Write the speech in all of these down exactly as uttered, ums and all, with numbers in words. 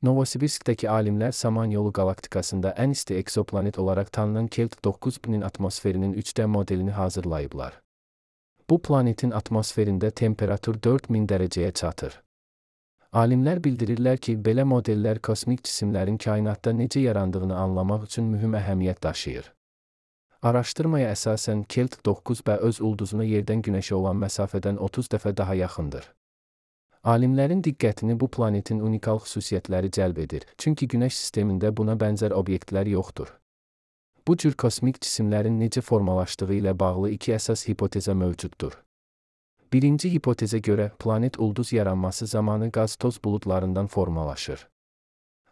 Novosibirskdəki alimlər Samanyolu qalaktikasında ən isti eksoplanet olaraq tanınan Kelt doqquz binin atmosferinin üç D modelini hazırlayıblar. Bu planetin atmosferində temperatur dörd min dərəcəyə çatır. Alimlər bildirirlər ki, belə modellər kosmik cisimlərin kainatda necə yarandığını anlamaq üçün mühüm əhəmiyyət daşıyır. Araşdırmaya əsasən Kelt doqquz B öz ulduzuna yerdən Günəşə olan məsafədən otuz dəfə daha yaxındır. Alimlərin diqqətini bu planetin unikal xüsusiyyətləri cəlb edir, çünki Günəş sistemində buna bənzər obyektlər yoxdur. Bu cür kosmik cisimlərin necə formalaşdığı ilə bağlı iki əsas hipoteza mövcuddur. Birinci hipotezə görə, planet ulduz yaranması zamanı qaz-toz buludlarından formalaşır.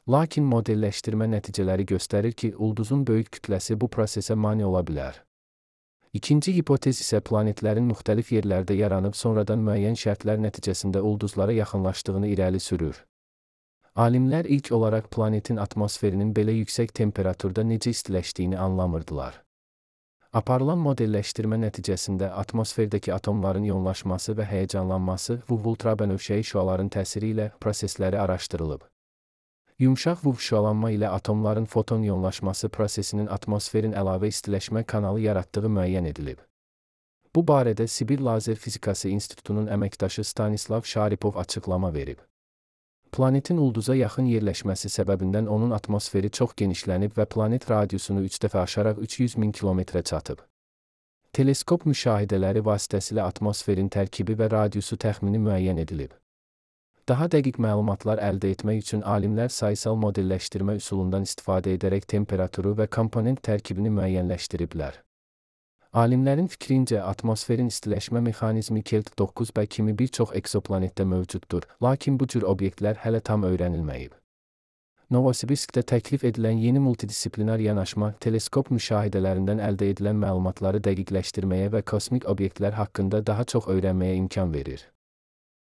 Lakin modelləşdirmə nəticələri göstərir ki, ulduzun böyük kütləsi bu prosesə mane ola bilər. İkinci hipotez isə planetlərin müxtəlif yerlərdə yaranıb sonradan müəyyən şərtlər nəticəsində ulduzlara yaxınlaşdığını irəli sürür. Alimlər ilk olaraq planetin atmosferinin belə yüksək temperaturda necə istiləşdiyini anlamırdılar. Aparılan modelləşdirmə nəticəsində atmosferdəki atomların ionlaşması və həyəcanlanması və ultrabənövşəyi şüaların təsiri ilə prosesləri araşdırılıb. Yumşaq V U V şüalanma ilə atomların foton ionlaşması prosesinin atmosferin əlavə istiləşmə kanalı yaratdığı müəyyən edilib. Bu barədə Sibir Lazer Fizikası İnstitutunun əməkdaşı Stanislav Şaripov açıqlama verib. Planetin ulduza yaxın yerləşməsi səbəbindən onun atmosferi çox genişlənib və planet radiusunu üç dəfə aşaraq üç yüz min kilometrə çatıb. Teleskop müşahidələri vasitəsilə atmosferin tərkibi və radiusu təxmini müəyyən edilib. Daha dəqiq məlumatlar əldə etmək üçün alimlər sayısal modelləşdirmə üsulundan istifadə edərək temperaturu və komponent tərkibini müəyyənləşdiriblər. Alimlərin fikrincə, atmosferin istiləşmə mexanizmi Kelt doqquz B kimi bir çox eksoplanetdə mövcuddur, lakin bu cür obyektlər hələ tam öyrənilməyib. Novosibirskdə təklif edilən yeni multidisiplinar yanaşma, teleskop müşahidələrindən əldə edilən məlumatları dəqiqləşdirməyə və kosmik obyektlər haqqında daha çox öyrənməyə imkan verir.